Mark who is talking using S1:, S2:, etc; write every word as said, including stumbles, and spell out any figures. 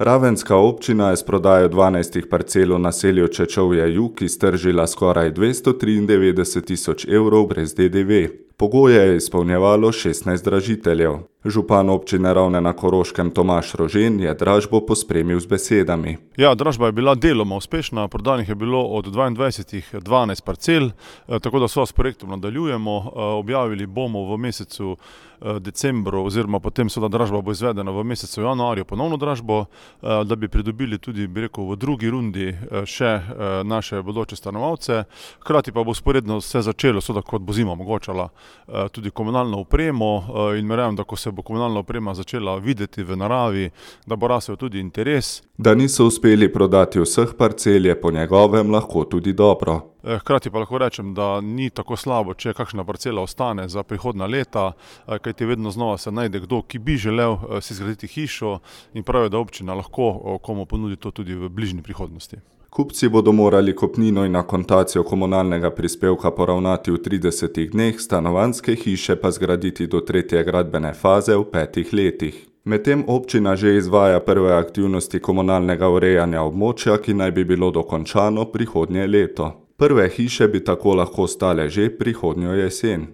S1: Ravenska občina je s prodajo dvanajstih parcel v naselju Čečovje Jug iztržila skoraj dvesto triindevetdeset tisoč evrov brez D D V. Pogoje je izpolnjevalo šestnajst dražiteljev. Župan občine Ravne na Koroškem Tomaž Rožen je dražbo pospremil z besedami.
S2: Ja, dražba je bila deloma uspešna, prodanih je bilo od dvaindvajsetih dvanajst parcel, tako da so s projektom nadaljujemo. Objavili bomo v mesecu decembru oziroma potem seveda dražba bo izvedena v mesecu januarju ponovno dražbo, da bi pridobili tudi, bi rekel, v drugi rundi še naše bodoče stanovalce. Hkrati pa bo sporedno vse začelo, seveda kot bo zima omogočala, tudi komunalno opremo in verjamem, da ko se bo komunalna oprema začela videti v naravi, da bo rasel tudi interes.
S1: Da niso uspeli prodati vseh parcel, je po njegovem lahko tudi dobro.
S2: Hkrati pa lahko rečem, da ni tako slabo, če kakšna parcela ostane za prihodnja leta, kajti vedno znova se najde kdo, ki bi želel si zgraditi hišo in pravi, da občina lahko komu ponudi to tudi v bližnji prihodnosti.
S1: Kupci bodo morali kupnino in akontacijo komunalnega prispevka poravnati v tridesetih dneh, stanovanjske hiše pa zgraditi do tretje gradbene faze v petih letih. Medtem občina že izvaja prve aktivnosti komunalnega urejanja območja, ki naj bi bilo dokončano prihodnje leto. Prve hiše bi tako lahko stale že prihodnjo jesen.